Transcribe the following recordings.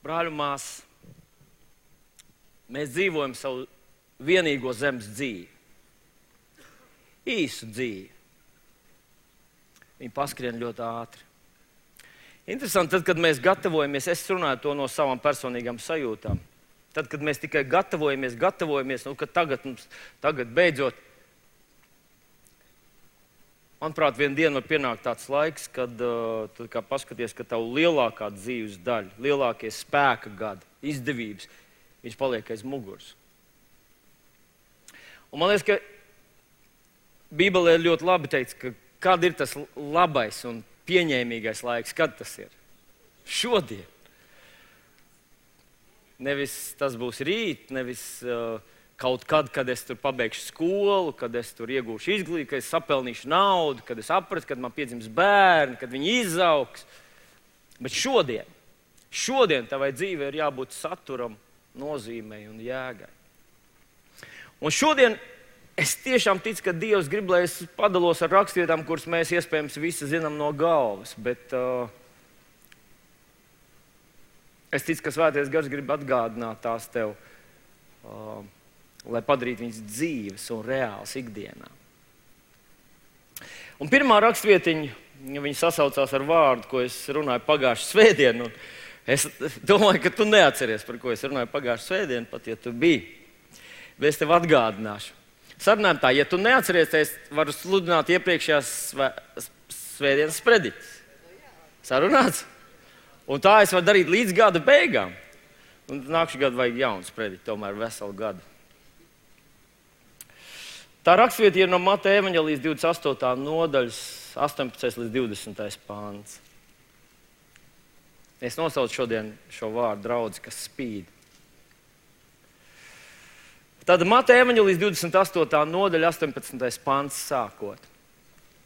Brāļi un māsas, mēs dzīvojam savu vienīgo zemes dzīvi. Īsu dzīvi. Viņi paskrien ļoti ātri. Interesanti, tad, kad mēs gatavojamies, es runāju to no savām personīgām sajūtām. Tad, kad mēs tikai gatavojamies, ka tagad beidzot, manuprāt, vienu dienu var pienākt tāds laiks, kad tu kā paskaties, ka tavu lielākā dzīves daļa, lielākie spēka gadi, izdevības, viņš paliek aiz muguras. Un man liekas, ka Bībelē ir ļoti labi teikts, ka kad ir tas labais un pieņēmīgais laiks, kad tas ir? Šodien. Nevis tas būs rīt, nevis kaut kad es tur pabeigšu skolu, kad es tur iegūšu izglītību, kad es sapelnīšu naudu, kad es sapratu, kad man piedzims bērni, kad viņi izaugs. Bet šodien tavai dzīvei ir jābūt saturam, nozīmei un jēgai. Un šodien es tiešām ticu, ka Dievs grib, lai es padalos ar rakstvietām, kuras mēs iespējams visi zinām no galvas, bet es ticu, ka Svētais Gars grib atgādināt tās tev, lai padarītu viņas dzīves un reāls ikdienā. Un pirmā rakstvietiņa, viņa sasaucās ar vārdu, ko es runāju pagājušajā svētdienā. Es domāju, ka tu neatceries, par ko es runāju pagājušajā svētdienā, pat ja tu biji. Bet es tev atgādināšu. Sarunājam tā, ja tu neatceries, es varu sludināt iepriekšējās svētdienas sprediķis. Sarunāts? Un tā es varu darīt līdz gada beigām. Un nākšu gadu vajag jaunu sprediķi, tomēr veselu gadu. Tā rakstvieta ir no Mateja evaņģēlijas 28. nodaļas 18. līdz 20. pāns. Es nosaucu šodien šo vārdu draudzi, kas spīd. Tad Mateja evaņģēlijas 28. nodaļa 18. pāns sākot.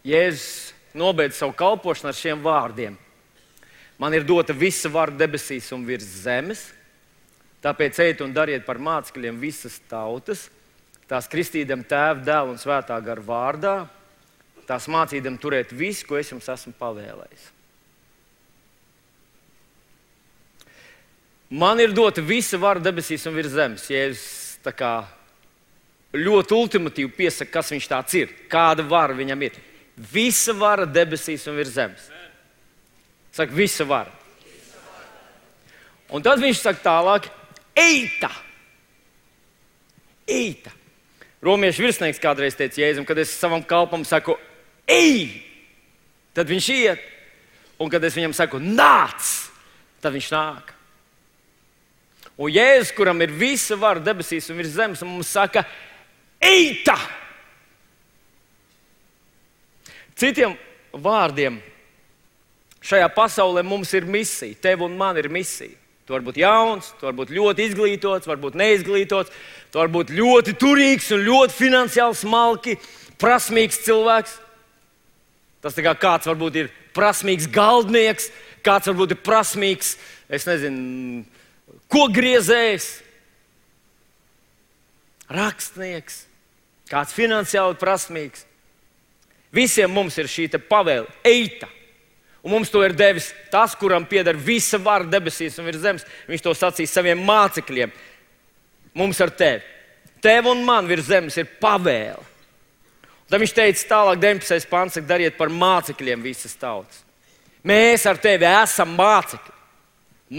Jēzus nobeidz savu kalpošanu ar šiem vārdiem. Man ir dota visa vara debesīs un virs zemes, tāpēc ejiet un dariet par mācekļiem visas tautas, tās kristīdam Tēva, Dēla un Svētā Gara vārdā, tās mācīdam turēt visu, ko es jums esmu pavēlējis. Man ir dota visa vara debesīs un virs zemes. Jēzus tā kā ļoti ultimatīvi piesaka, kas viņš tāds ir, kāda vara viņam ir. Visa vara debesīs un virs zemes. Saka, visa vara. Un tad viņš saka tālāk, eita! Eita! Romiešu virsnieks kādreiz teica Jēzum, kad es savam kalpam saku, ej! Tad viņš iet. Un kad es viņam saku, nāc! Tad viņš nāk. Un Jēzus, kuram ir visa vara debesīs un virs zemes, mums saka, eita! Citiem vārdiem, šajā pasaulē mums ir misija, tev un man ir misija. Tu vari būt jauns, tu vari būt ļoti izglītots, varbūt neizglītots, tu vari būt ļoti turīgs un ļoti finansiāli smalki, prasmīgs cilvēks. Tas tā kā kāds varbūt ir prasmīgs galdnieks, kāds varbūt ir prasmīgs, es nezinu, kokgriezējs, rakstnieks, kāds finansiāli prasmīgs. Visiem mums ir šī te pavēle, eita. Un mums to ir devis tas, kuram pieder visa vara debesīs un virs zemes. Viņš to sacīs saviem mācekļiem. Mums ar tevi. Tev un man virs zemes ir pavēle. Tad viņš teica tālāk 19. pants, dariet par mācekļiem visas tautas. Mēs ar tevi esam mācekļi.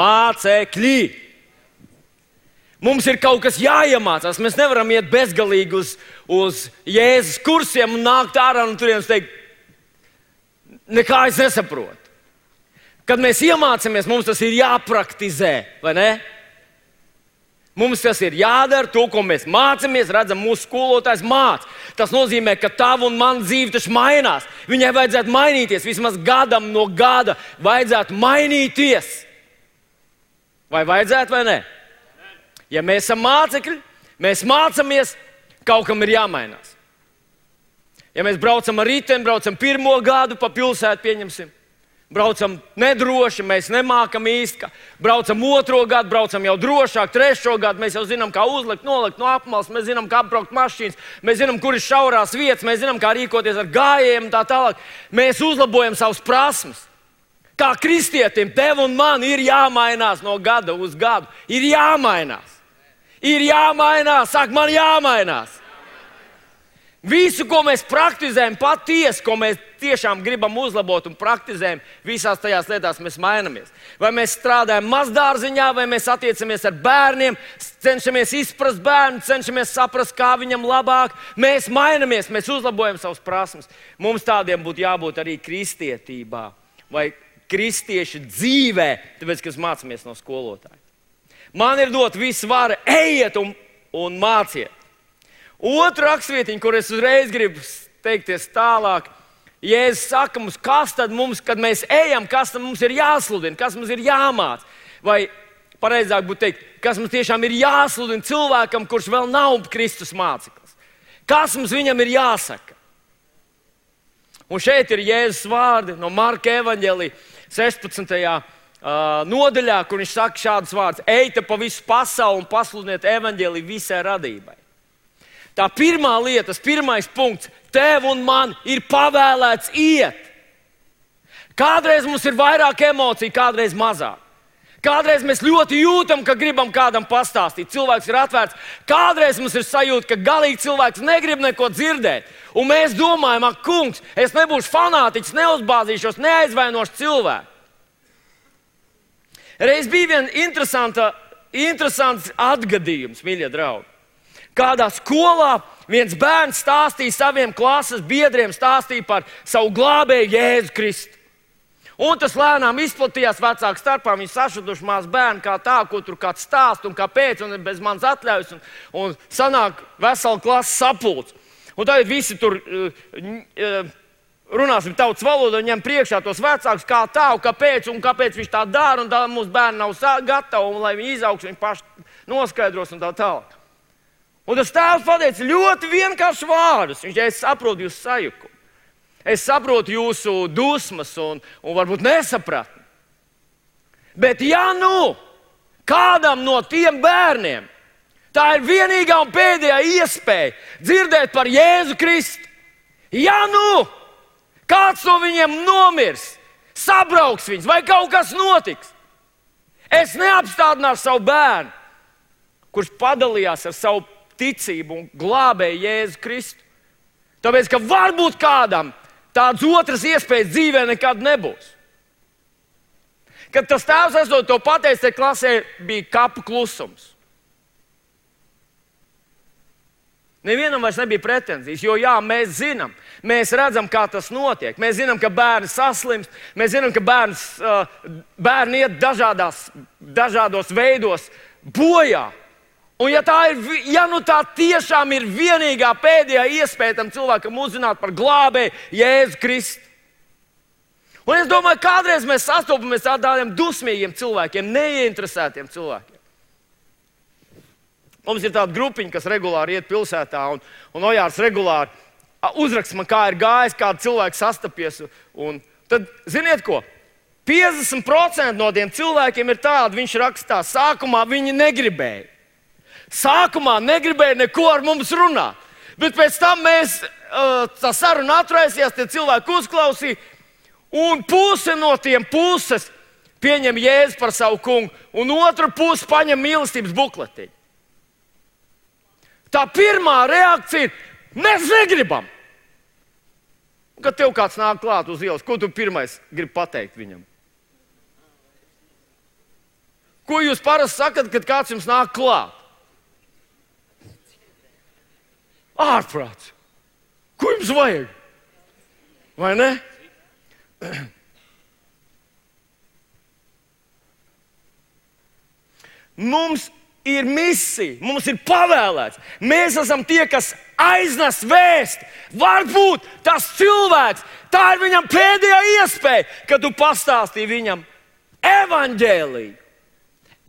Mācekļi. Mums ir kaut kas jāiemācās. Mēs nevaram iet bezgalīgi uz Jēzus kursiem un nākt ārā un turienes teikt, nekā es nesaprotu. Kad mēs iemācāmies, mums tas ir jāpraktizē, vai ne? Mums tas ir jādara, to, ko mēs mācāmies, redzam, mūsu skolotājs māca. Tas nozīmē, ka tava un mana dzīve taču mainās. Viņai vajadzētu mainīties, vismaz gadam no gada vajadzētu mainīties. Vai vajadzētu vai ne? Ja mēs esam mācekļi, mēs mācāmies, kaut kam ir jāmainās. Ja mēs braucam ar riteni, braucam pirmo gadu pa pilsētu, pieņemsim, braucam nedroši, mēs nemākam īsti, braucam otro gadu, braucam jau drošāk, trešo gadu, mēs jau zinām, kā uzlikt, nolikt no apmales, mēs zinām, kā apbraukt mašīnas, mēs zinām, kur ir šaurās vietas, mēs zinām, kā rīkoties ar gājējiem un tā tālāk. Mēs uzlabojam savas prasmes. Kā kristietim, tev un man ir jāmainās no gada uz gadu. Ir jāmainās. Ir jāmainās. Saka, man jāmainās. Visu, ko mēs praktizējam, patiesi, ko mēs tiešām gribam uzlabot un praktizējam, visās tajās lietās mēs mainamies. Vai mēs strādājam mazdārziņā, vai mēs attiecamies ar bērniem, cenšamies izprast bērnu, cenšamies saprast, kā viņam labāk. Mēs mainamies, mēs uzlabojam savas prasmes. Mums tādiem būtu jābūt arī kristietībā vai kristiešu dzīvē, tāpēc, ka mēs mācāmies no skolotāja. Man ir dot visu vara, ejiet un māciet. Otra rakstvietiņa, kur es uzreiz gribu teikties tālāk, Jēzus saka mums, kas tad mums, kad mēs ejam, kas tad mums ir jāsludina, kas mums ir jāmāc. Vai pareizāk būtu teikt, kas mums tiešām ir jāsludina cilvēkam, kurš vēl nav Kristus māceklis. Kas mums viņam ir jāsaka? Un šeit ir Jēzus vārdi no Marka evaņģēlija 16. Nodaļā, kur viņš saka šādus vārdus: ejiet pa visu pasauli un pasludiniet evaņģēliju visai radībai. Tā pirmā lieta, tas pirmais punkts, tev un man ir pavēlēts iet. Kādreiz mums ir vairāk emociju, kādreiz mazāk. Kādreiz mēs ļoti jūtam, ka gribam kādam pastāstīt. Cilvēks ir atvērts. Kādreiz mums ir sajūta, ka galīgi cilvēks negrib neko dzirdēt. Un mēs domājam, ak, kungs, es nebūšu fanātiķis, neuzbāzīšos, neaizvainošu cilvēku. Reiz bija viens interesants atgadījums, mīļie draugi. Kādā skolā viens bērns stāstīja saviem klases biedriem par savu glābēju Jēzu Kristu. Un tas lēnām izplatījās vecāku starpā. Viņi sašutuši mazu bērnu kā tā, ko tur kāds stāst un kāpēc, un bez manas atļaujas. Un sanāk vesela klases sapulce. Un tagad visi tur runāsim tautas valodu un ņem priekšā tos vecākus kā tā, un kāpēc viņš tā dara, un tā mūsu bērni nav gatavi, un lai viņi izaugs, viņi paši noskaidros un tā tālāk. Un tas tēvs pateica ļoti vienkāršus vārdus. Viņš teica, es saprotu jūsu sajukumu. Es saprotu jūsu dusmas un varbūt nesapratni. Bet ja nu kādam no tiem bērniem tā ir vienīgā un pēdējā iespēja dzirdēt par Jēzu Kristu, ja nu kāds no viņiem nomirs, sabrauks viņus vai kaut kas notiks, es neapstādināšu savu bērnu, kurš padalījās ar savu ticību un glābēja Jēzu Kristu. Tāpēc, ka varbūt kādam tādas otras iespējas dzīvē nekad nebūs. Kad tas tēvs esot to pateicis, tad klasē bija kapu klusums. Nevienam vairs nebija pretenzijas, jo jā, mēs zinām, mēs redzam, kā tas notiek. Mēs zinām, ka bērni saslimst, mēs zinām, ka bērni iet dažādos veidos bojā. Un ja nu tā tiešām ir vienīgā pēdējā iespēja tam cilvēkam uzzināt par glābēju Jēzu Kristu. Un es domāju, kādreiz mēs sastopamies ar tādiem dusmīgiem cilvēkiem, neieinteresētiem cilvēkiem. Mums ir tāda grupiņa, kas regulāri iet pilsētā, un Ojārs regulāri uzraksta man, kā ir gājis, kādu cilvēku sastapies. Un tad, ziniet ko? 50% no tiem cilvēkiem ir tādi, viņš rakstā, sākumā viņi negribēja. Sākumā negribēja neko ar mums runāt, bet pēc tam tā saruna atraisījās, tie cilvēki uzklausīja, un puse no tiem puses pieņem Jēzu par savu kungu, un otra puse paņem mīlestības bukletiņu. Tā pirmā reakcija ir, mēs negribam. Kad tev kāds nāk klāt uz ielas, ko tu pirmais gribi pateikt viņam? Ko jūs parasti sakat, kad kāds jums nāk klāt? Ārprāts. Ko jums vajag? Vai ne? Mums ir misija, mums ir pavēlēts. Mēs esam tie, kas aiznes vēsti. Varbūt tas cilvēks, tā ir viņam pēdējā iespēja, kad tu pastāstīji viņam evaņģēliju.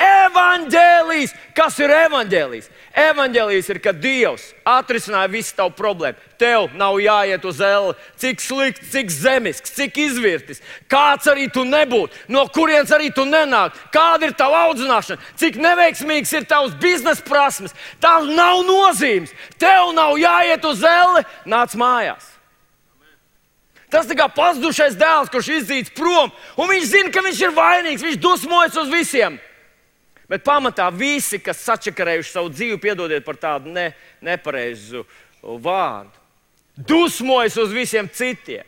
Evaņģēlijs. Kas ir evaņģēlijs? Evaņģēlijs ir, kad Dievs atrisināja visu tavu problēmu. Tev nav jāiet uz elli, cik slikts, cik zemisks, cik izvirtis, kāds arī tu nebūtu, no kurienes arī tu nenāk, kāda ir tava audzināšana, cik neveiksmīgs ir tavs biznesa prasmes. Tās nav nozīmes. Tev nav jāiet uz elli, nāc mājās. Tas tā kā pazudušais dēls, kurš izdzīts prom, un viņš zina, ka viņš ir vainīgs, viņš dusmojas uz visiem. Bet pamatā visi, kas sačakarējuši savu dzīvi, piedodiet par tādu nepareizu vārdu, dusmojas uz visiem citiem.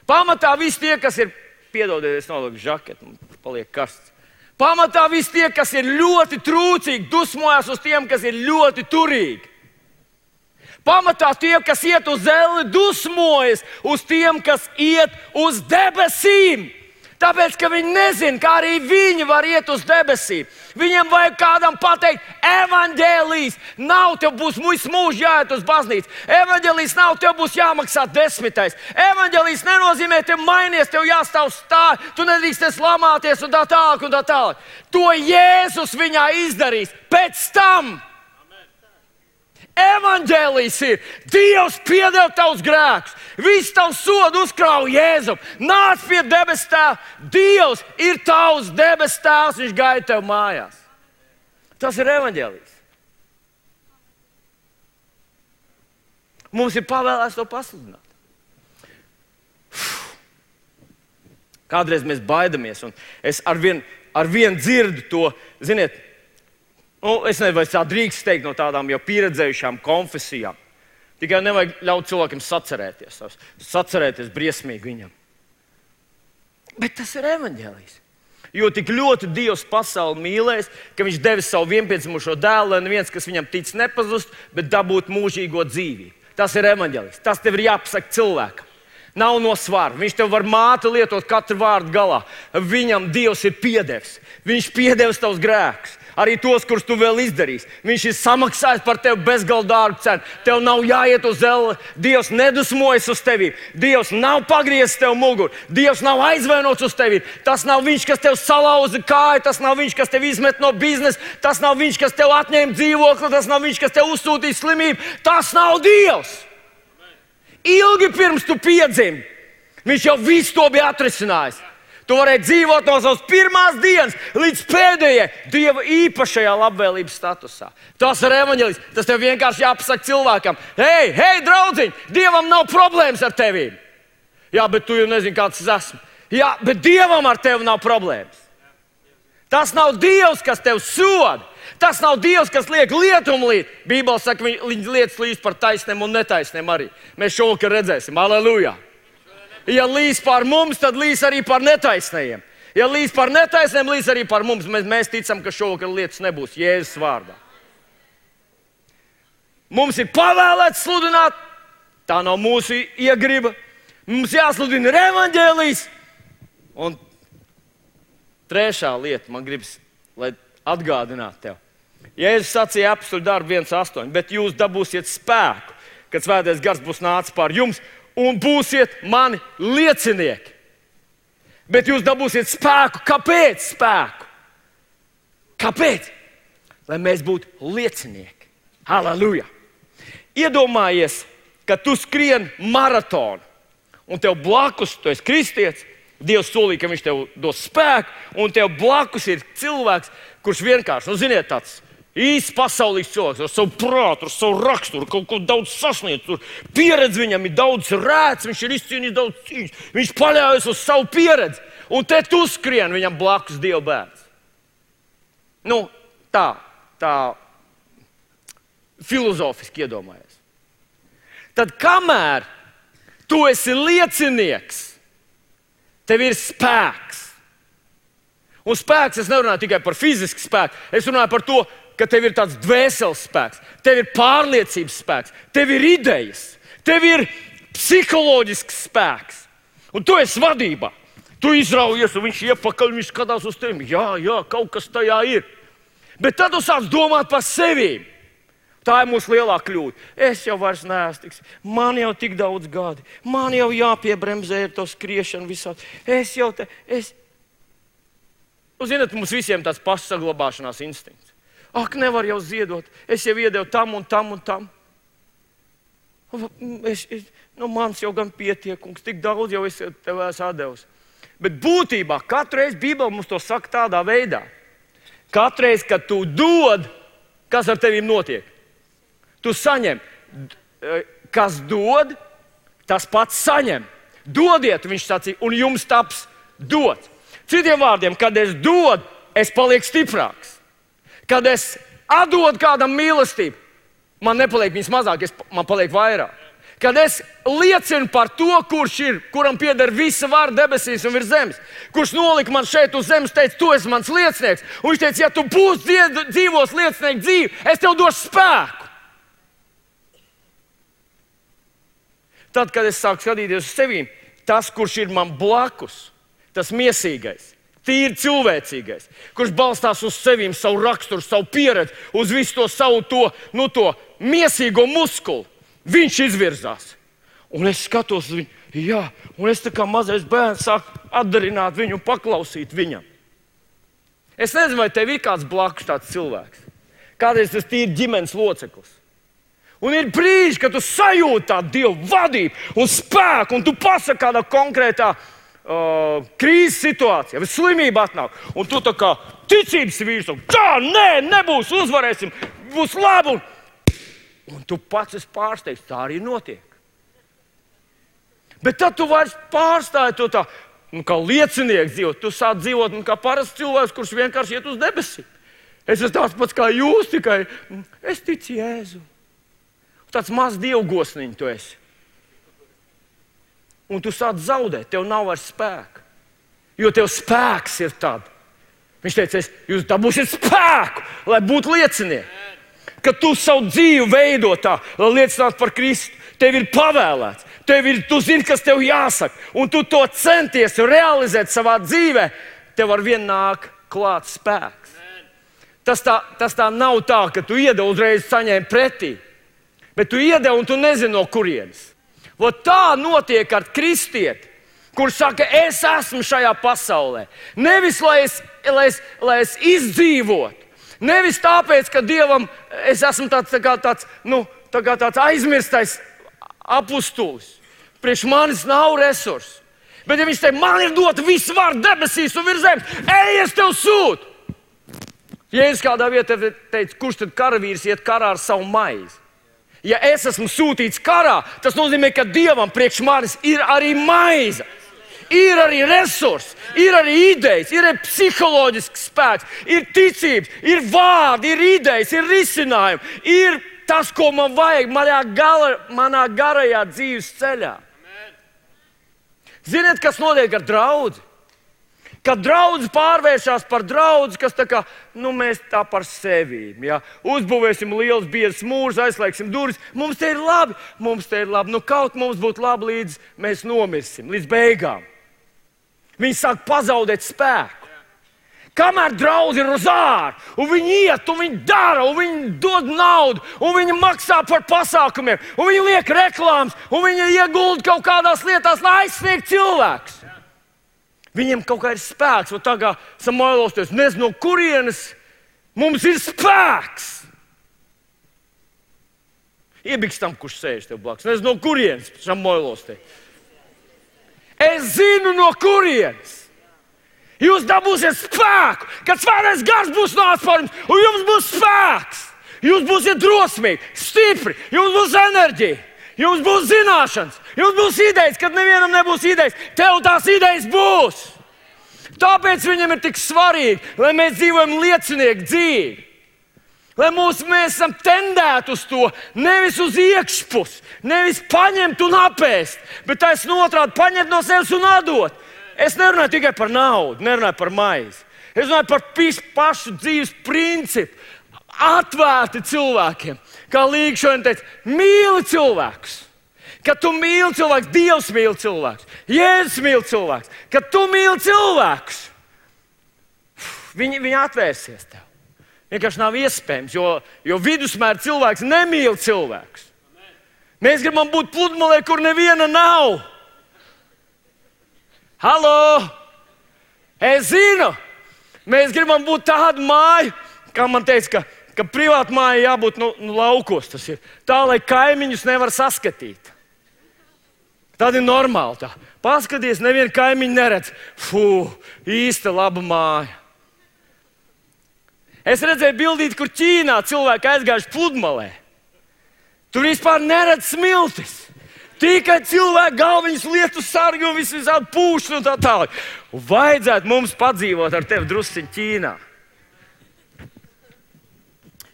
Pamatā visi tie, kas ir, piedodiet, es nolieku žaketu, man paliek karsts. Pamatā visi tie, kas ir ļoti trūcīgi, dusmojas uz tiem, kas ir ļoti turīgi. Pamatā tie, kas iet uz zelli, dusmojas uz tiem, kas iet uz debesīm. Tāpēc, ka viņi nezina, kā arī viņi var iet uz debesīm. Viņiem vajag kādam pateikt, evaņģēlijs nav, tev būs visu mūžu jāiet uz baznīcu. Evaņģēlijs nav, tev būs jāmaksā 10. Evaņģēlijs nenozīmē, tev mainies, tev jāstāv stāv, tu nedrīksties lamāties un tā tālāk un tā tālāk. To Jēzus viņā izdarīs pēc tam. Evaņģēlijs ir, Dievs piedeva tavus grēkus, visu tavu sodu uzkrāja Jēzum, nāc pie debes tēva, Dievs ir tavs debes tēvs, viņš gaida tev mājās. Tas ir evaņģēlijs. Mums ir pavēlēts to pasludināt. Kādreiz mēs baidamies, un es arvien dzirdu to, ziniet, es nezinu, vai tā drīkst teikt no tādām jau pieredzējušām konfesijām. Tikai nevajag ļaut cilvēkiem sacerēties briesmīgi viņam. Bet tas ir evaņģēlijs. Jo tik ļoti Dievs pasauli mīlēs, ka viņš devis savu vienpiedzimušo dēlu, lai neviens, kas viņam tic, nepazust, bet dabūt mūžīgo dzīvību. Tas ir evaņģēlijs. Tas tev ir jāpasaka cilvēkam. Nav no svara. Viņš tev var māte lietot katru vārdu galā. Viņam Dievs ir piedevis. Viņš piedevis tavus grēkus. Arī tos, kurus tu vēl izdarīsi. Viņš ir samaksājis par tevi bezgalīgi dārgu cenu. Tev nav jāiet uz zelli. Dievs nedusmojas uz tevi. Dievs nav pagriezis tev muguru. Dievs nav aizvainots uz tevi. Tas nav viņš, kas tev salauza kāju. Tas nav viņš, kas tev izmet no biznesa. Tas nav viņš, kas tev atņēma dzīvokli. Tas nav viņš, kas tev uzsūtīja slimību. Tas nav Dievs. Ilgi pirms tu piedzimi, viņš jau visu to bija atrisinājis. Tu varēji dzīvot no savas pirmās dienas līdz pēdējai Dieva īpašajā labvēlības statusā. Tas ir evaņģēlijs. Tas tev vienkārši jāpasaka cilvēkam. Hei, draudziņ, Dievam nav problēmas ar tevi. Jā, bet tu jau nezini, kāds es esmu. Jā, bet Dievam ar tevi nav problēmas. Tas nav Dievs, kas tev soda. Tas nav Dievs, kas liek lietumu līt. Bībele saka, viņa lietas līdz par taisniem un netaisniem arī. Mēs šovakar redzēsim. Aleluja! Ja līs pār mums, tad līs arī pār netaisnējiem. Ja līs pār netaisniem, līs arī pār mums. Mēs ticam, ka šovakar lietas nebūs Jēzus vārdā. Mums ir pavēlēts sludināt. Tā nav mūsu iegriba. Mums jāsludina evaņģēlijs. Un trešā lieta, man gribas, lai atgādinātu tev. Jēzus sacīja apstuļu darbu 1:8, bet jūs dabūsiet spēku, kad svētais gars būs nācis pār jums, un būsiet mani liecinieki. Bet jūs dabūsiet spēku. Kāpēc spēku? Kāpēc? Lai mēs būtu liecinieki. Halleluja! Iedomājies, ka tu skrien maratonu, un tev blakus, tu esi kristietis, Dievs solīja, ka viņš tev dos spēku, un tev blakus ir cilvēks, kurš vienkārši, ziniet, tāds īsts pasaulīgs cilvēks, ar savu prātu, ar savu raksturu, kaut ko daudz sasniedz, tur pieredze viņam ir daudz rēts, viņš ir izcīnījis daudz cīņas, viņš paļaujas uz savu pieredzi, un te tu skrien viņam blakus Dieva bērns. Tā filozofiski iedomājies. Tad kamēr tu esi liecinieks, tev ir spēks. Un spēks, es nerunāju tikai par fizisku spēku, es runāju par to, ka tev ir tāds dvēseles spēks, tev ir pārliecības spēks, tev ir idejas, tev ir psiholoģisks spēks. Un tu esi vadībā. Tu izraujies, un viņš iepakaļ, viņš skatās uz tevi. Jā, kaut kas tajā ir. Bet tad tu sāc domāt par sevi. Tā ir mūsu lielā kļūda. Es jau vairs neesmu tiks. Man jau tik daudz gadi. Man jau jāpiebremzē ar to skriešanu visādi. Zināt, mums visiem tāds pašsaglabāšanās instinkts. Ak, nevar jau ziedot. Es jau iedevu tam un tam un tam. Mans jau gan pietiekungs. Tik daudz jau es tev esmu atdevis. Bet būtībā katru reizi Bībele mums to saka tādā veidā. Katru reizi, kad tu dod, kas ar tevi notiek? Tu saņem. Kas dod, tas pats saņem. Dodiet, viņš sacīja, un jums taps dots. Citiem vārdiem, kad es dodu, es palieku stiprāks. Kad es atdodu kādam mīlestību, man nepaliek viņas mazāk, man paliek vairāk. Kad es liecinu par to, kurš ir, kuram pieder visa vara debesīs un virs zemes, kurš nolika man šeit uz zemes, teica, tu esi mans liecinieks. Un viņš teica, ja tu būsi dzīvos liecinieku dzīvi, es tev došu spēku. Tad, kad es sāku skatīties uz sevi, tas, kurš ir man blakus, tas miesīgais, tīri cilvēcīgais, kurš balstās uz sevi, savu raksturu, savu pieredzi, uz visu to savu to miesīgo muskuli, viņš izvirzās. Un es skatos uz viņu, jā, un es tā kā mazais bērns sāku atdarināt viņu un paklausīt viņam. Es nezinu, vai tev ir kāds blakus tāds cilvēks. Kādreiz tas tīri ģimenes loceklis. Un ir brīži, kad tu sajūti tādu Dievu vadību un spēku, un tu pasaki kādā konkrētā krīzes situācijā, vai slimība atnāk, un tu tā kā ticības vīrs, nebūs, uzvarēsim, būs labi. Un tu pats esi pārsteigts, tā arī notiek. Bet tad tu vairs pārstāji to tā, kā liecinieks dzīvot. Tu sāc dzīvot kā parasts cilvēks, kurš vienkārši iet uz debesīm. Es esmu tāds pats kā jūs, tikai es ticu Jēzu. Tāds mazs dievgosniņš tu esi. Un tu sāc zaudēt, tev nav vairs spēka. Jo tev spēks ir tad. Viņš teica, jūs dabūsiet spēku, lai būtu liecinieki. Kad tu savu dzīvi veido tā, lai liecinātu par Kristu, tev ir pavēlēts. Tu zini, kas tev jāsaka. Un tu to centies realizēt savā dzīvē, tev ar vienu nāk klāt spēks. Tas tā nav tā, ka tu iedevi uzreiz saņēmi pretī. Bet tu iedevi un tu nezini, no kurienes. Tā notiek ar kristieti, kurš saka, es esmu šajā pasaulē. Nevis, lai es izdzīvotu. Nevis tāpēc, ka Dievam es esmu tāds aizmirstais apustulis. Priekš manis nav resursu. Bet ja viņš teica, man ir dota visa vara debesīs un virs zemes, ej, es tev sūtu. Jēzus kādā vietā teica, kurš tad karavīrs iet karā ar savu maizi? Ja es esmu sūtīts karā, tas nozīmē, ka Dievam priekš manis ir arī maize. Ir arī resursi, ir arī idejas, ir arī psiholoģisks spēks, ir ticības, ir vārdi, ir idejas, ir risinājumi, ir tas, ko man vajag manā garajā dzīves ceļā. Ziniet, kas notiek ar draudzi? Kad draudzi pārvēršas par draudzi, kas tā kā, mēs tā par sevi, ja? Uzbūvēsim liels biezs mūrs, aizslēgsim durvis, mums te ir labi, kaut mums būtu labi līdz mēs nomirsim, līdz beigām. Viņi sāk pazaudēt spēku. Kamēr draudzi ir uz ārā, un viņi iet, un viņi dara, un viņi dod naudu, un viņi maksā par pasākumiem, un viņi liek reklāmas, un viņi iegulda kaut kādās lietās, lai aizsniegtu cilvēkus. Viņiem kaut kā ir spēks, un tā kā Samuēlos teica, nezinu, no kurienes mums ir spēks. Iebiks tam, kurš sēž tev blakus. Nezinu, no kurienes Samuēlos teica. Es zinu, no kurienes. Jūs dabūsiet spēku, kad Svētais Gars būs nācis par jums, un jums būs spēks. Jūs būsiet drosmīgi, stipri, jums būs enerģija, jums būs zināšanas, jums būs idejas, kad nevienam nebūs idejas. Tev tās idejas būs. Tāpēc viņam ir tik svarīgi, lai mēs dzīvojam liecinieku dzīvi. Lai mēs esam tendēti uz to, nevis uz iekšpusi, nevis paņemt un apēst, bet taisnība otrādi paņemt no sevis un atdot. Es nerunāju tikai par naudu, nerunāju par maizi. Es runāju par pašu dzīves principu, atvērti cilvēkiem. Kā Līga šodien teica, mīli cilvēkus. Kad tu mīli cilvēkus, Dievs mīli cilvēkus, Jēzus mīli cilvēkus. Kad tu mīli cilvēkus, viņi atvērsies tev. Vienkārši nav iespējams, jo vidusmēra cilvēks nemīl cilvēkus. Mēs gribam būt pludmalē, kur neviena nav. Halo! Es zinu! Mēs gribam būt tāda māja, kā man teica, ka privāta māja jābūt laukos. Tas ir tā, lai kaimiņus nevar saskatīt. Tad ir normāli tā. Paskaties, nevienu kaimiņu neredz. Īsta laba māja. Es redzēju bildīti, kur Ķīnā cilvēki aizgājuši pludmalē. Tur vispār neredz smiltis. Tikai cilvēki galviņas lietu sargi un visādi pūšļi un tā tālāk. Un vajadzētu mums padzīvot ar tevi drusciņ Ķīnā.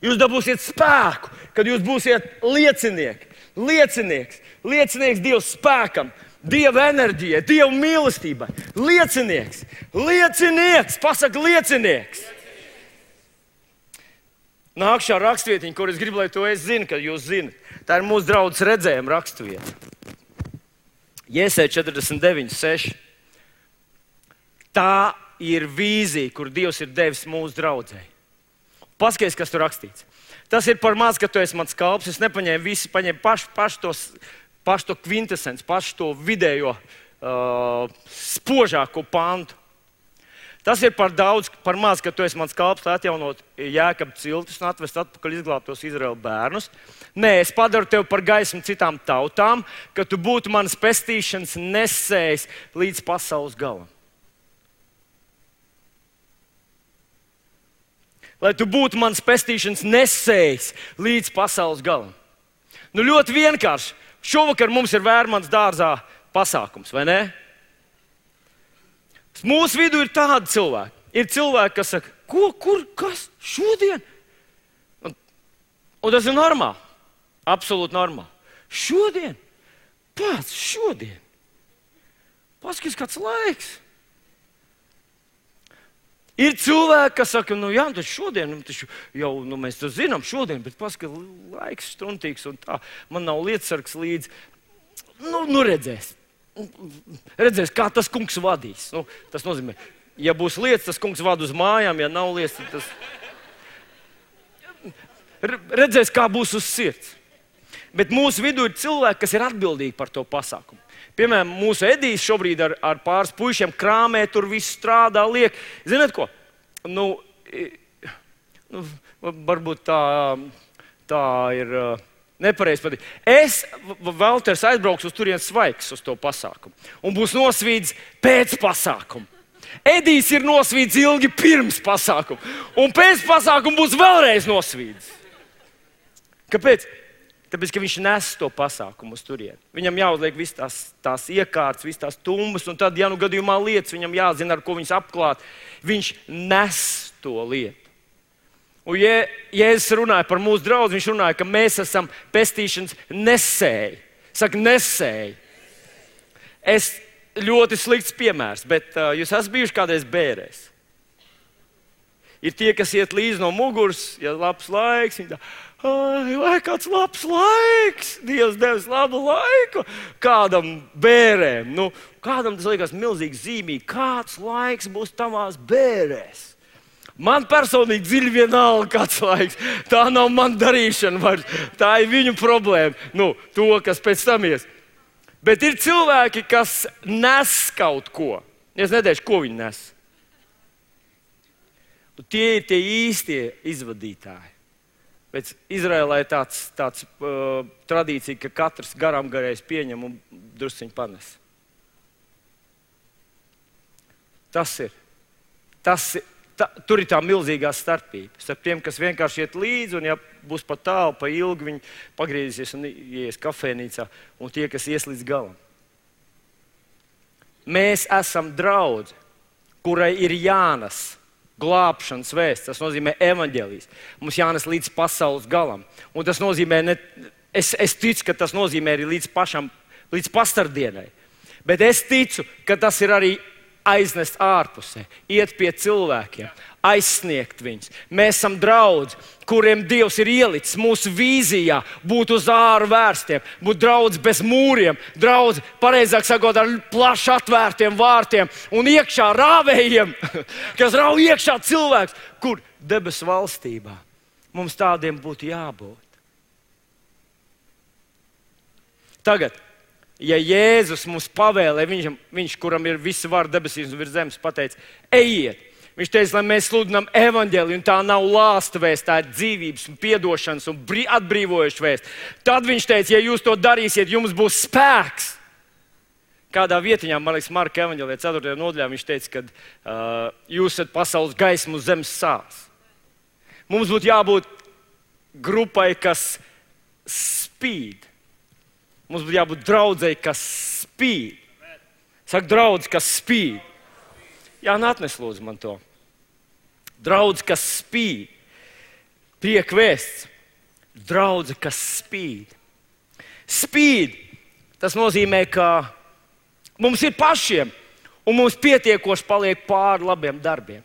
Jūs dabūsiet spēku, kad jūs būsiet liecinieki. Liecinieks Dieva spēkam, Dieva enerģijai, Dieva mīlestībai. Liecinieks, pasaka liecinieks. Nākšā rakstvietiņa, kur es gribu, lai to es zinu, kad jūs zinat. Tā ir mūsu draudzes redzējuma rakstvieta. Jēzē 49:6. Tā ir vīzija, kur Dievs ir devis mūsu draudzei. Paskaties, kas tur rakstīts. Tas ir par maz, ka tu esi mans kalps. Es nepaņēmu visu, paņēmu pašu to kvintesenci, pašu to vidējo spožāko pantu. Tas ir par daudz, par maz, ka tu esi mans kalps, lai atjaunot Jēkaba ciltis un atvest atpakaļ izglābtos Izraēla bērnus. Nē, es padaru tevi par gaismu citām tautām, ka tu būtu manas pestīšanas nesējs līdz pasaules galam. Lai tu būtu manas pestīšanas nesējs līdz pasaules galam. Nu, ļoti vienkārši. Šovakar mums ir Vērmanas dārzā pasākums, vai ne? Mūsu vidū ir tādi cilvēki. Ir cilvēki, kas saka, kas šodien? Un tas ir normāli. Absolūti normāli. Šodien? Pats šodien? Paskaties, kāds laiks. Ir cilvēki, kas saka, jā, tas šodien, jau mēs to zinām šodien, bet paskaties, laiks struntīgs un tā. Man nav lietasargs līdzi. Redzēs. Redzēs, kā tas kungs vadīs. Tas nozīmē, ja būs lietas, tas kungs vada uz mājām, ja nav lietas, tas redzēs, kā būs uz sirds. Bet mūsu vidū ir cilvēki, kas ir atbildīgi par to pasākumu. Piemēram, mūsu Edijs šobrīd ar pāris puišiem krāmē, tur viss strādā, liek. Ziniet ko? Varbūt tā ir nepareizi pateikt. Es, Valters, aizbraukšu uz turienes svaigs uz to pasākumu. Un būs nosvīdis pēc pasākuma. Edijs ir nosvīdis ilgi pirms pasākuma. Un pēc pasākuma būs vēlreiz nosvīdis. Kāpēc? Tāpēc, ka viņš nes to pasākumu uz turieni. Viņam jāuzliek visas tās iekārtas, visas tās tumbas, un tad, ja nu gadījumā lietas, viņam jāzina, ar ko viņas apklāt. Viņš nes to lietu. Un, ja Jēzus runāja par mūsu draugu, viņš runāja, ka mēs esam pestīšanas nesēji. Saka, nesēji. Es ļoti slikts piemērs, bet jūs esat bijuši kādreiz bērēs. Ir tie, kas iet līdzi no muguras, ja labs laiks, viņi tā, vai kāds labs laiks, Dievs devis labu laiku kādam bērēm. Kādam tas liekas milzīgi zīmīgi, kāds laiks būs tavās bērēs. Man personīgi dziļi vienalga, kāds laiks. Tā nav man darīšana vairs. Tā ir viņu problēma. To, kas pēc tam ies. Bet ir cilvēki, kas nes kaut ko. Es neteikšu, ko viņi nes. Un tie ir tie īstie izvadītāji. Pēc Izraēlā ir tāds tradīcija, ka katrs garām garējs pieņem un drusciņi panes. Tas ir. Tur ir tā milzīgā starpība. Starp tiem, kas vienkārši iet līdzi, un ja būs pa tālu, pa ilgi, viņi pagriezīsies un ies kafejnīcā, un tie, kas ies līdz galam. Mēs esam draudze, kurai ir jānes glābšanas vēsts. Tas nozīmē evaņģēlijs. Mums jānes līdz pasaules galam. Un tas nozīmē, es ticu, ka tas nozīmē arī līdz pastardienai. Bet es ticu, ka tas ir arī aiznest ārpusē, iet pie cilvēkiem, aizsniegt viņus. Mēs esam draudzi, kuriem Dievs ir ielicis mūsu vīzijā būt uz āru vērstiem, būt draudzi bez mūriem, draudzi, pareizāk sakot, ar plaši atvērtiem vārtiem un iekšā rāvējiem, kas rauj iekšā cilvēks, kur debesu valstībā. Mums tādiem būtu jābūt. Tagad. Ja Jēzus mums pavēlē, viņš, kuram ir visa vara debesīs un virs zemes, pateica, ejiet. Viņš teica, lai mēs sludinām evaņģēliju, un tā nav lāsta vēsts, tā ir dzīvības un piedošanas un atbrīvojoša vēsts. Tad viņš teica, ja jūs to darīsiet, jums būs spēks. Kādā vietiņā, man liekas, Marka evaņģēlijā 4. nodaļā, viņš teica, ka jūs esat pasaules gaisma uz zemes sāls. Mums būtu jābūt grupai, kas spīd. Mums būtu jābūt draudzei, kas spīd. Saka, draudz, kas spīd. Jā, atnes lūdzu man to. Draudz, kas spīd. Prieka vēsts. Draudze, kas spīd. Spīd. Tas nozīmē, ka mums ir pašiem, un mums pietiekoši paliek pāri labiem darbiem.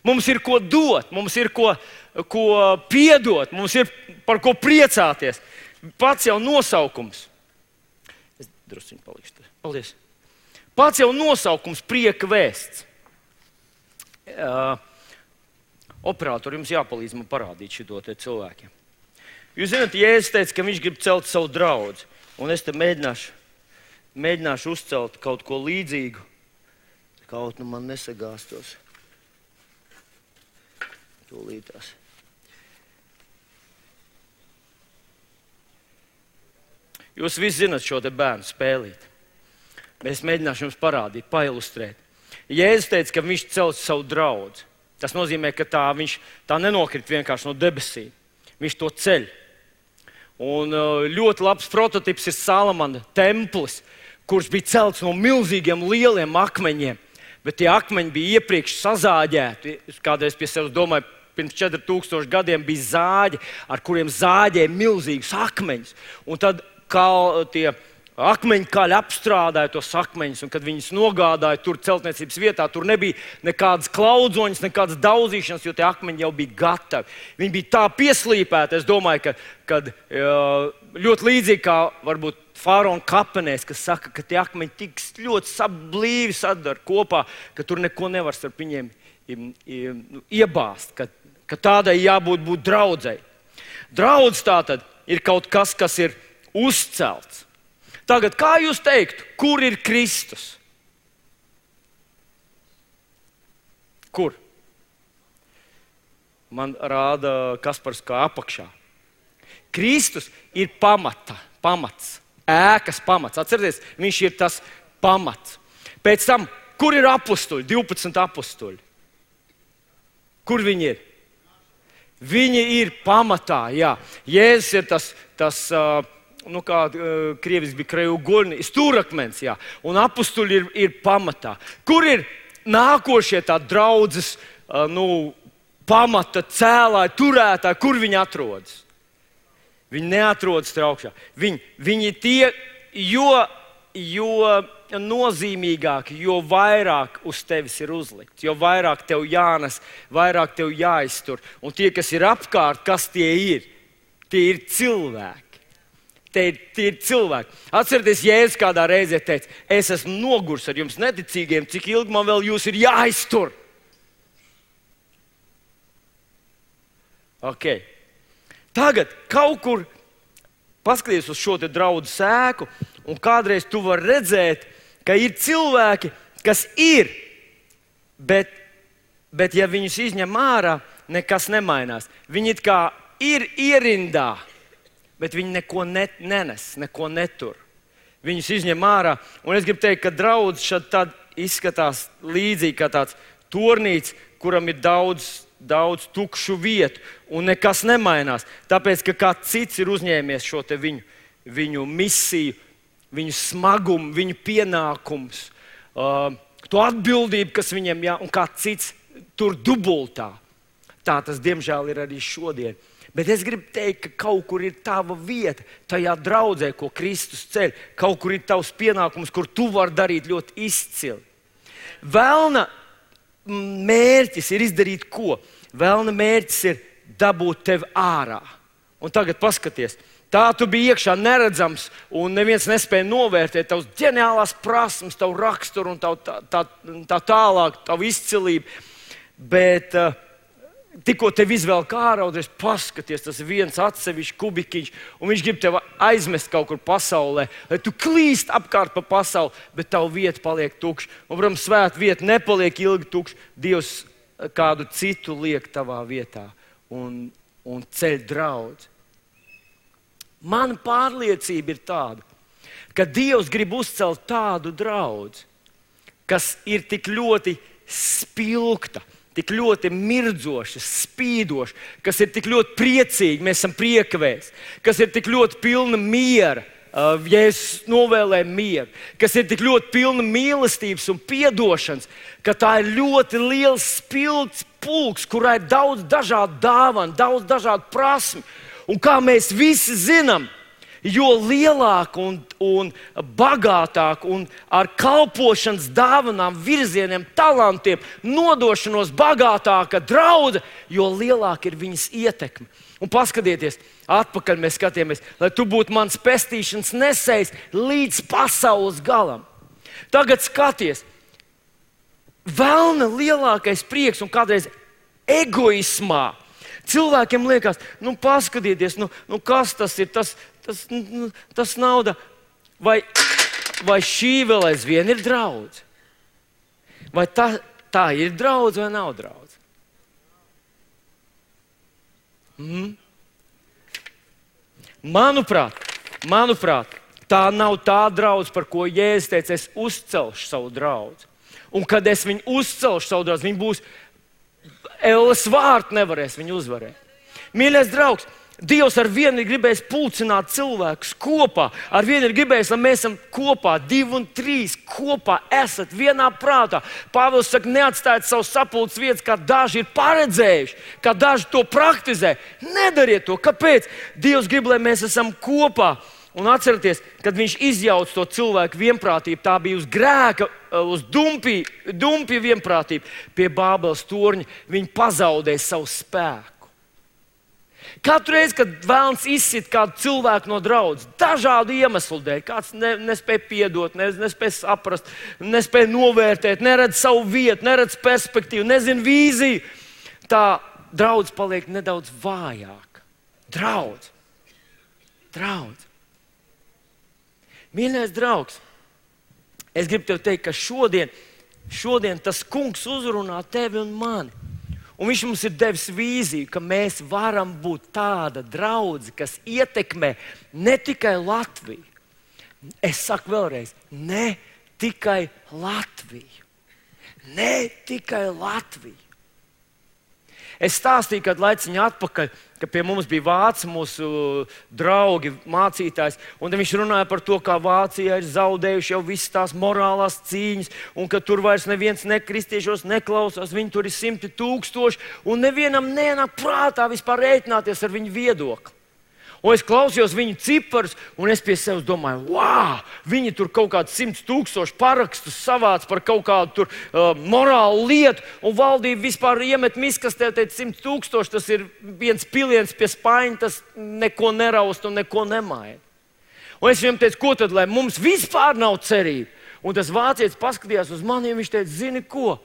Mums ir ko dot, mums ir ko piedot, mums ir par ko priecāties. Pats jau nosaukums. Es drusciņu palikšu. Paldies. Pats jau nosaukums prieka vēsts. Operatori, jums jāpalīdz man parādīt šito te cilvēkiem. Jūs zināt, Jēzus teica, ka viņš grib celt savu draudzi. Un es te mēģināšu uzcelt kaut ko līdzīgu. Kaut nu man nesagāstos. Tūlītās. Jūs visi zināt šo te bērnu spēlīt. Es mēģināšu jums parādīt, pailustrēt. Jēzus teica, ka viņš cels savu draudzi. Tas nozīmē, ka tā nenokrit vienkārši no debesīm. Viņš to ceļ. Un ļoti labs prototips ir Salamana templis, kurš bija celts no milzīgiem lieliem akmeņiem. Bet tie akmeņi bija iepriekš sazāģēti. Kādreiz pie sevis domāju, pirms 4000 gadiem bija zāģi, ar kuriem zāģēja milzīgus akmeņus. Un tad tie akmeņi kaļi apstrādāja tos akmeņus, un kad viņus nogādāja tur celtniecības vietā, tur nebija nekādas klaudzoņas, nekādas daudzīšanas, jo tie akmeņi jau bija gatavi. Viņi bija tā pieslīpēti, es domāju, ka ļoti līdzīgi kā varbūt faraona kapenēs, kas saka, ka tie akmeņi tik ļoti blīvi sadara kopā, ka tur neko nevar starp viņiem iebāzt, ka tādai jābūt draudzei. Draudz tātad ir kaut kas, kas ir uzcelts. Tagad, kā jūs teiktu, kur ir Kristus? Kur? Man rāda Kaspars kā apakšā. Kristus ir pamats, ēkas pamats. Atcerieties, viņš ir tas pamats. Pēc tam, kur ir apustuļi, 12 apustuļi? Kur viņi ir? Viņi ir pamatā, jā. Jēzus ir tas kā krieviski bija krejugolni, stūrakmens, jā. Un apustuļi ir pamatā. Kur ir nākošie tā draudzes, pamata cēlāji, turētāji, kur viņi atrodas? Viņi neatrodas te augšā. Viņi tie, jo nozīmīgāki, jo vairāk uz tevis ir uzlikts, jo vairāk tev jānes, vairāk tev jāiztur. Un tie, kas ir apkārt, kas tie ir? Tie ir cilvēki. Tie ir cilvēki. Atcerieties, Jēzus kādā reizē teica, es esmu nogurs ar jums neticīgiem, cik ilgi man vēl jūs ir jāiztur. Okay. Tagad kaut kur paskaties uz šo te draudzu sēku, un kādreiz tu vari redzēt, ka ir cilvēki, kas ir, bet ja viņus izņem ārā, nekas nemainās. Viņi it kā ir ierindā, bet viņi neko nenes, neko netur. Viņus izņem ārā, un es gribu teikt, ka draudz šad izskatās līdzīgi kā tāds tornīts, kuram ir daudz tukšu vietu, un nekas nemainās. Tāpēc, ka kāds cits ir uzņēmies šo te viņu misiju, viņu smagumu, viņu pienākums, to atbildību, kas viņiem un kāds cits tur dubultā. Tā tas, diemžēl, ir arī šodien. Bet es gribu teikt, ka kaut kur ir tava vieta, tajā draudzē, ko Kristus ceļ. Kaut kur ir tavs pienākums, kur tu vari darīt ļoti izcili. Velna mērķis ir izdarīt ko? Velna mērķis ir dabūt tevi ārā. Un tagad paskaties, tā tu biji iekšā neredzams, un neviens nespēja novērtēt tavas ģeniālās prasmes, tavu raksturu un tā tālāk, tavu izcilību. Bet tikko tevi izvēl ārā, un es paskaties, tas ir viens atsevišķs kubikiņš, un viņš grib tevi aizmest kaut kur pasaulē, lai tu klīst apkārt pa pasauli, bet tavu vieta paliek tukša. Un, protams, svēta vieta nepaliek ilgi tukša. Dievs kādu citu liek tavā vietā un ceļ draudzi. Mana pārliecība ir tāda, ka Dievs grib uzcelt tādu draudzi, kas ir tik ļoti spilgta, tik ļoti mirdzoša, spīdoša, kas ir tik ļoti priecīga, mēs esam priekavēs, kas ir tik ļoti pilna miera, Jēzus novēlēja mieru, kas ir tik ļoti pilna mīlestības un piedošanas, ka tā ir ļoti liels spilgts pulks, kurā ir daudz dažādu dāvanu, daudz dažādu prasmi. Un kā mēs visi zinām, jo lielāk un bagātāk un ar kalpošanas dāvanām, virzieniem, talantiem, nodošanos bagātāka draudze, jo lielāka ir viņas ietekme. Un paskatieties, atpakaļ mēs skatījāmies, lai tu būtu mans pestīšanas nesējs līdz pasaules galam. Tagad skaties, velna lielākais prieks un kādreiz egoismā. Cilvēkiem liekas, paskatieties, kas tas ir, tas nauda, vai šī vēl aizvien ir draudze? Vai tā ir draudze vai nav draudze? Manuprāt, tā nav tā draudze, par ko Jēzus teica, es uzcelšu savu draudzi. Un kad es viņu uzcelšu savu draudzi, viņi būs Elles vārtu nevarēs viņu uzvarēt. Mīļais draugs, Dievs ar vienu ir gribējis pulcināt cilvēkus kopā. Ar vienu ir gribējis, lai mēs esam kopā, 2 un 3 kopā esat vienā prātā. Pāvils saka, neatstājiet savu sapulces vietas, kā daži ir paredzējuši, kā daži to praktizē. Nedariet to. Kāpēc? Dievs grib, lai mēs esam kopā. Un atcerieties, kad viņš izjauca to cilvēku vienprātību, tā bija uz grēka, uz dumpja vienprātību. Pie Bābeles torņa viņi pazaudēja savu spēku. Katru reizi, kad vēlns izsit kādu cilvēku no draudzes, dažādu iemeslu dēļ, kāds nespēja piedot, nespēja saprast, nespēja novērtēt, neredz savu vietu, neredz perspektīvu, nezina vīziju, tā draudze paliek nedaudz vājāka. Draudze. Mīļais draugs, es gribu tev teikt, ka šodien tas kungs uzrunā tevi un mani. Un viņš mums ir devis vīziju, ka mēs varam būt tāda draudze, kas ietekmē ne tikai Latviju. Es saku vēlreiz, ne tikai Latviju. Ne tikai Latviju. Es stāstīju kādu laiciņu atpakaļ, ka pie mums bija vācu mūsu draugi, mācītājs, un viņš runāja par to, kā Vācijā ir zaudējuši jau visas tās morālās cīņas, un ka tur vairs neviens nekristiešos neklausās, viņi tur ir 100 000, un nevienam nenāk prātā vispār rēķināties ar viņu viedokli. Un es klausījos viņu ciparus, un es pie sevis domāju, wow, viņi tur kaut kāds 100 000 parakstus savāc par kaut kādu tur, morālu lietu, un valdība vispār iemet miskastē, teica 100 000, tas ir viens piliens pie spaiņa, tas neko neraust un neko nemaina. Un es viņam teicu, ko tad, lai mums vispār nav cerība? Un tas vācietis paskatījās uz mani, un viņš teica, zini ko?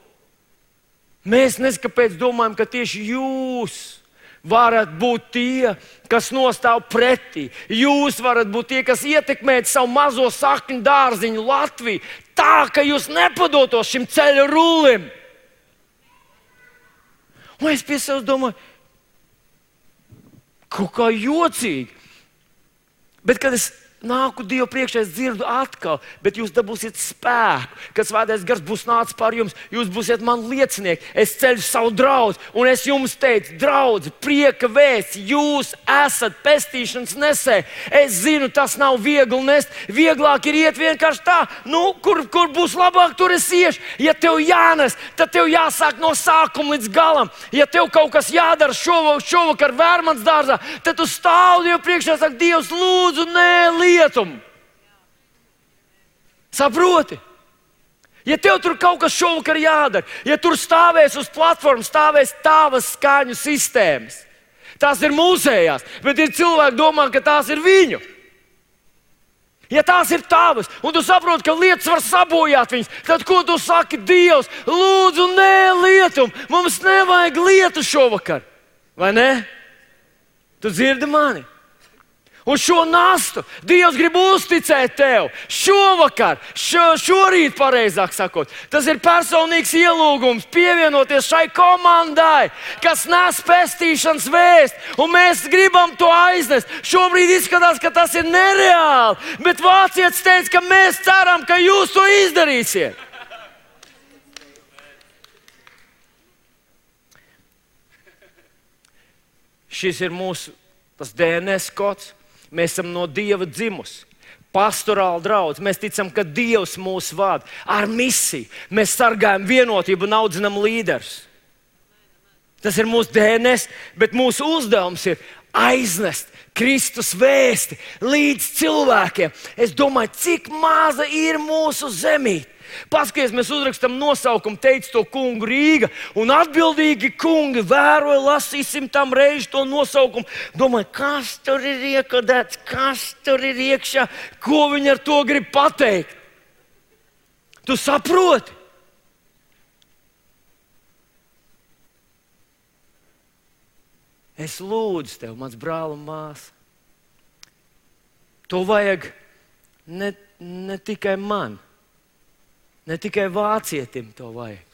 Mēs neskapēc domājam, ka tieši jūs varat būt tie, kas nostāv pretī. Jūs varat būt tie, kas ietekmēt savu mazo sakņu dārziņu Latviju, tā, ka jūs nepadotos šim ceļa rullim. Un es pie sevis domāju, kaut kā jocīgi. Bet, kad es nāku Dievu priekšā, es dzirdu atkal, bet jūs dabūsiet spēku, kad Svētais Gars būs nācis pār jums, jūs būsiet man liecinieki, es ceļu savu draudzi, un es jums teicu, draudzi, prieka vēsts, jūs esat pestīšanas nesēji. Es zinu, tas nav viegli nest, vieglāk ir iet vienkārši tā, kur būs labāk, tur es iešu. Ja tev jānes, tad tev jāsāk no sākuma līdz galam. Ja tev kaut kas jādara šovakar Vērmans dārzā, tad tu stāv Dievu priekšā, saka, Dievs, lūdzu, nē, lietumu. Saproti? Ja tev tur kaut kas šovakar jādara, ja tur stāvēs uz platformas, stāvēs tavas skaņu sistēmas, tās ir mūsējās, bet ir cilvēki domā, ka tās ir viņu. Ja tās ir tavas, un tu saproti, ka lietas var sabojāt viņas, tad ko tu saki? Dievs, lūdzu, nē, lietumu. Mums nevajag lietu šovakar. Vai ne? Tu dzirdi mani? Un šo nastu Dievs grib uzticēt tev šovakar, šorīt, pareizāk sakot. Tas ir personīgs ielūgums pievienoties šai komandai, kas nes pestīšanas vēstu, un mēs gribam to aiznest. Šobrīd izskatās, ka tas ir nereāli, bet vācietis teica, ka mēs ceram, ka jūs to izdarīsiet. Šis ir mūsu DNS kods. Mēs esam no Dieva dzimusi. pastorāla draudze. Mēs ticam, ka Dievs mūs vada ar misiju. Mēs sargājam vienotību un audzinam līderus. Tas ir mūsu DNS, bet mūsu uzdevums ir aiznest Kristus vēsti līdz cilvēkiem. Es domāju, cik maza ir mūsu zemīte. Paskaties, mēs uzrakstām nosaukumu, teica to kungu Rīga, un atbildīgi kungi vēroja, lasīsim tam reizi to nosaukumu. Domāju, kas tur ir iekodēts, kas tur ir iekšā, ko viņi ar to grib pateikt. Tu saproti? Es lūdzu tev, mans brāl un māsa. To vajag ne tikai man. Ne tikai vācietim to vajag.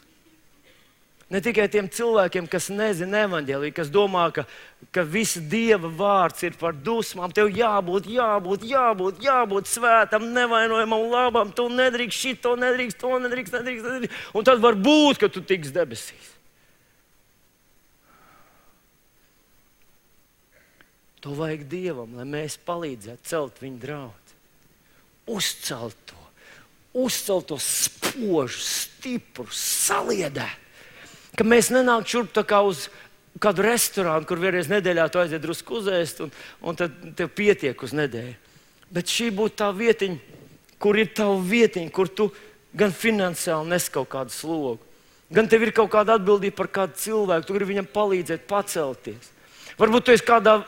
Ne tikai tiem cilvēkiem, kas nezina evaņģēliju, kas domā, ka visa Dieva vārds ir par dusmām. Tev jābūt svētam, nevainojamam, labam. Tu nedrīkst šito, nedrīkst to, nedrīkst. Un tad var būt, ka tu tiks debesīs. To vajag Dievam, lai mēs palīdzētu celt viņa draudzi. Uzcelt to spožu, stipru, saliedētu. Ka mēs nenāk šurp tā kā uz kādu restorānu, kur vienreiz nedēļā tu aiziet drusku uzēst, un tad tev pietiek uz nedēļu. Bet šī būtu tā vietiņa, kur ir tava vietiņa, kur tu gan finansiāli nes kaut kādu slogu, gan tev ir kaut kāda atbildība par kādu cilvēku, tu gribi viņam palīdzēt pacelties. Varbūt tu esi kādā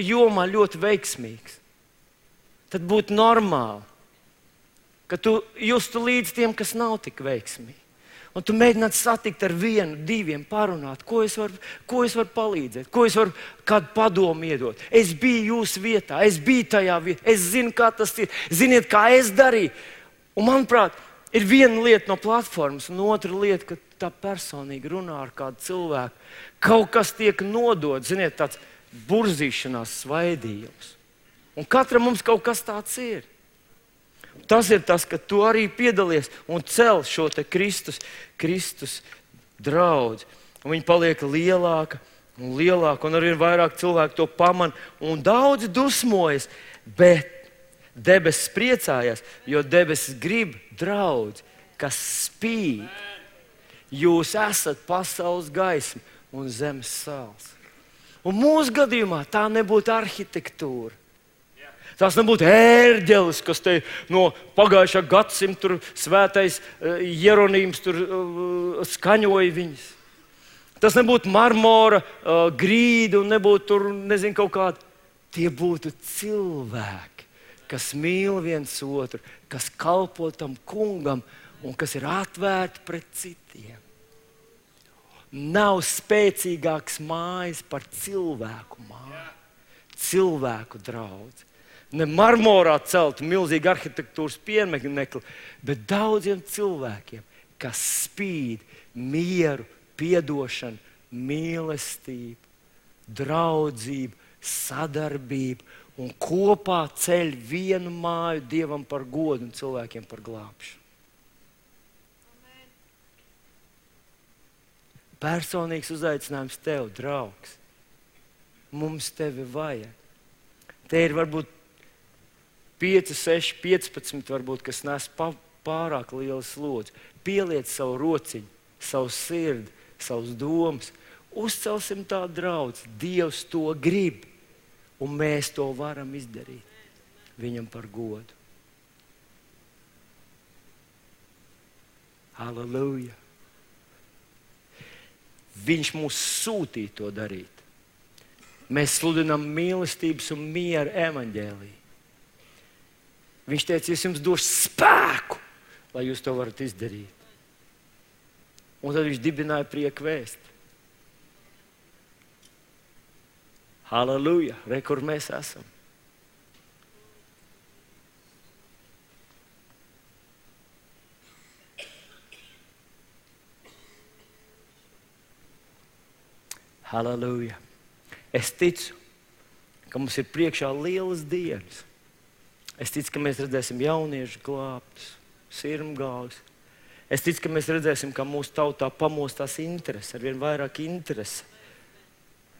jomā ļoti veiksmīgs. Tad būtu normāli, ka tu justu līdz tiem, kas nav tik veiksmīgi. Un tu mēģinātu satikt ar vienu, diviem, parunāt, ko es varu palīdzēt, ko es varu kādu padomu iedot. Es biju jūsu vietā, es biju tajā vietā, es zinu, kā tas ir, ziniet, kā es darīju. Un manuprāt, ir viena lieta no platformas, un otra lieta, ka tā personīgi runā ar kādu cilvēku. Kaut kas tiek nodots, ziniet, tāds burzīšanās svaidījums. Un katram mums kaut kas tāds ir. Tas ir tas, ka tu arī piedalies un cel šo te Kristus draudzi. Un viņi paliek lielāka un lielāka, un arvien vairāk cilvēku to pamana, un daudzi dusmojas, bet debesis priecājās, jo debesis grib draudzi, kas spīd. Jūs esat pasaules gaisma un zemes sāls. Un mūsu gadījumā tā nebūtu arhitektūra. Tas nebūtu ērģelis, kas te no pagājušā gadsimta svētais Jeronīms tur skaņoja viņus. Tas nebūtu marmora grīda un nebūtu tur, nezinu, kaut kādi. Tie būtu cilvēki, kas mīl viens otru, kas kalpo tam kungam un kas ir atvērti pret citiem. Nav spēcīgāks mājas par cilvēku māju, cilvēku draudzi. Ne marmorā celtu milzīgu arhitektūras pieminekli, bet daudziem cilvēkiem, kas spīd mieru, piedošanu, mīlestību, draudzību, sadarbību un kopā ceļ vienu māju Dievam par godu un cilvēkiem par glābšanu. Personīgs uzaicinājums tev, draugs. Mums tevi vajag. Te ir varbūt 5, 6, 15, varbūt, kas nes pārāk lielu slodzi. Pieliec savu rociņu, savu sirdi, savus domas. Uzcelsim tādu draudzi. Dievs to grib, un mēs to varam izdarīt viņam par godu. Halleluja! Viņš mūs sūtīja to darīt. Mēs sludinām mīlestības un miera evaņģēliju. Viņš teica, es jums došu spēku, lai jūs to varat izdarīt. Un tad viņš dibināja prieku vēsti. Halleluja! Re, kur mēs esam. Halleluja! Es ticu, ka mums ir priekšā lielas dienas. Es ticu, ka mēs redzēsim jauniešu glābtus, sirmgāvus. Es ticu, ka mēs redzēsim, ka mūsu tautā pamostās interese, arvien vairāk interese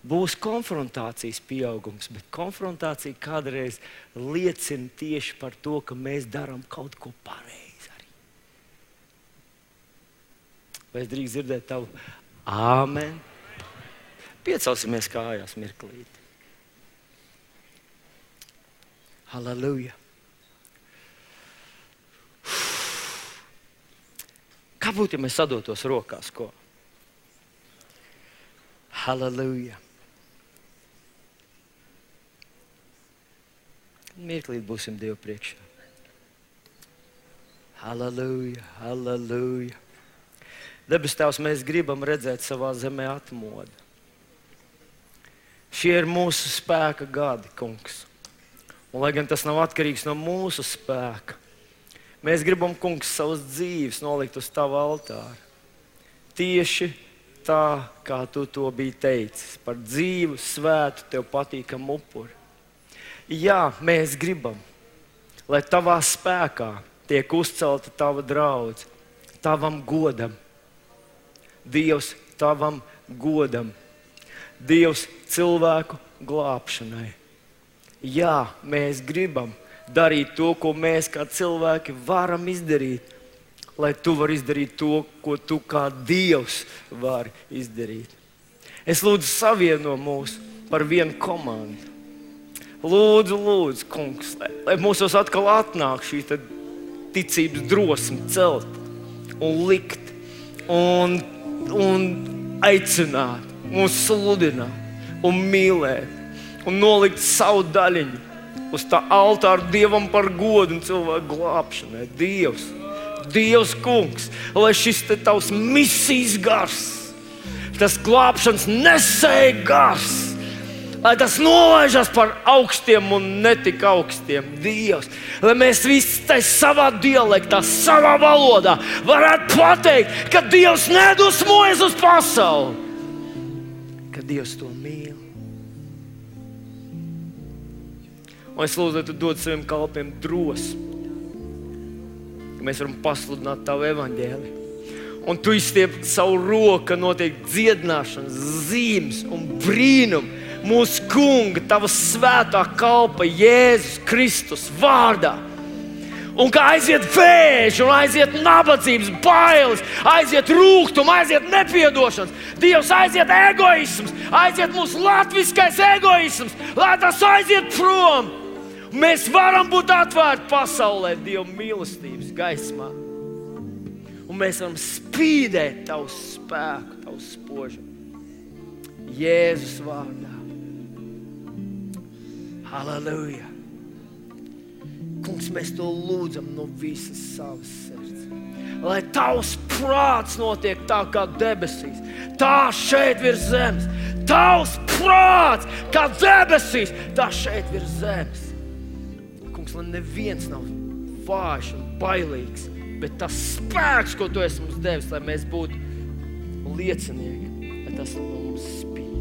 Būs konfrontācijas pieaugums, bet konfrontācija kādreiz liecina tieši par to, ka mēs darām kaut ko pareizi arī. Vai es drīkst dzirdēt tavu āmen? Piecelsimies kājās mirklīti. Halleluja. Kā būtu, ja mēs sadotos rokās, ko? Halleluja. Mirklīt būsim Dievu priekšā. Halleluja, halleluja. Debes Tēvs, mēs gribam redzēt savā zemē atmodu. Šie ir mūsu spēka gadi, kungs. Un, lai gan tas nav atkarīgs no mūsu spēka, mēs gribam, kungs, savas dzīves nolikt uz tavu altāru. Tieši tā, kā tu to biji teicis, par dzīvu, svētu, tev patīkamu upuri. Jā, mēs gribam, lai tavā spēkā tiek uzcelta tava draudze, tavam godam. Dievs, tavam godam. Dievs, cilvēku glābšanai. Jā, mēs gribam darīt to, ko mēs kā cilvēki varam izdarīt, lai tu vari izdarīt to, ko tu kā Dievs vari izdarīt. Es lūdzu savieno mūs par vienu komandu. Lūdzu, lūdzu, kungs, lai mūsos atkal atnāk šī ticības drosme celt un likt un aicināt, un sludināt un mīlēt un nolikt savu daļiņu uz tā altāra Dievam par godu un cilvēku glābšanai. Dievs, kungs, lai šis tavs misijas gars, tas glābšanas nesēja gars, lai tas nolaižas par augstiem un netik augstiem. Dievs, lai mēs visi savā dialektā, savā valodā varētu pateikt, ka Dievs nedusmojas uz pasauli, ka Dievs to mīl. Un es lūdzu, lai tu dod saviem kalpiem drosmi, ka mēs varam pasludināt tavu evaņģēliju. Un tu izstiep savu roku, notiek dziedināšanas, zīmes un brīnumi mūsu kunga, tava svētā kalpa Jēzus Kristus vārdā. Un kā aiziet vēži, un aiziet nabadzības, bailes, aiziet rūgtums, aiziet nepiedošanas, Dievs, aiziet egoisms, aiziet mūsu latviskais egoisms, lai tas aiziet prom. Mēs varam būt atvērti pasaulē Dieva mīlestības gaismā. Un mēs varam spīdēt tavu spēku, tavu spožumu. Jēzus vārdā. Halleluja. Kungs, mēs to lūdzam no visas savas sirds. Lai tavs prāts notiek tā kā debesīs, tā šeit virs zemes. Tavs prāts kā debesīs, tā šeit virs zemes. Kungs, lai neviens nav vājš un bailīgs, bet tas spēks, ko tu esi mums devis, lai mēs būtu liecinieki, lai tas no mums spīd.